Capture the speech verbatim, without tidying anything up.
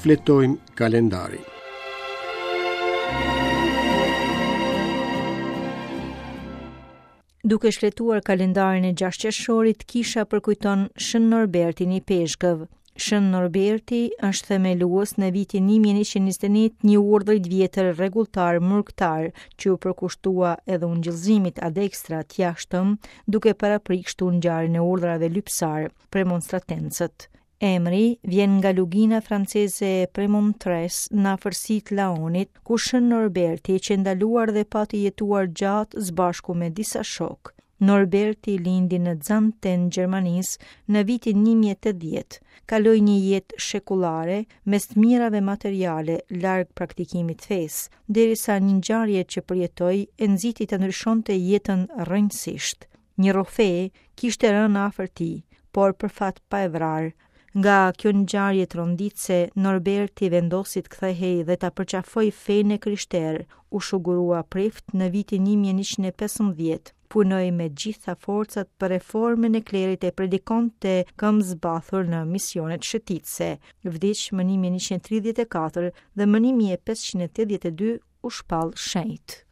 Shfletojmë kalendarin. Duke shfletuar kalendarin e gjashtë qershorit, kisha përkujton Shën Norbertin Ipeshkëv. Shën Norberti është themelues në vitin një mijë e njëqind e njëzet e një një urdhri të vjetër rregulltar murgtar që u përkushtua edhe ungjillzimit ad extra të jashtëm, duke parapri kështu ngjarjen e urdhrave lypsar, premonstratencët. Emri vjen nga lugina franceze e Premontres në afërsi të Laonit, ku Shën Norberti qe ndaluar dhe pati jetuar gjatë së bashku me disa shokë. Norberti lindi në Xanten, Gjermanisë, në vitin një mijë e tetëdhjetë. Kaloi një jetë shekullare mes të mirave materiale larg praktikimit të fesë, derisa një ngjarje që përjetoi e nxiti të ndryshonte jetën rrënjësisht. Një rrofe kishte rënë afër tij, por për fat pa e vrarë. Nga kjo ngjarje tronditëse, Norberti vendosi të kthehej dhe ta përqafoj fenë e krishterë, u shugurua prift në vitin një mijë e njëqind e pesëmbëdhjetë. Punoi me gjitha forcat për reformën e klerit e predikonte këmbë zbathur në misionet shëtitëse. Vdiq më një mijë e njëqind e tridhjetë e katër dhe më një mijë e pesëqind e tetëdhjetë e dy u shpall shenjt.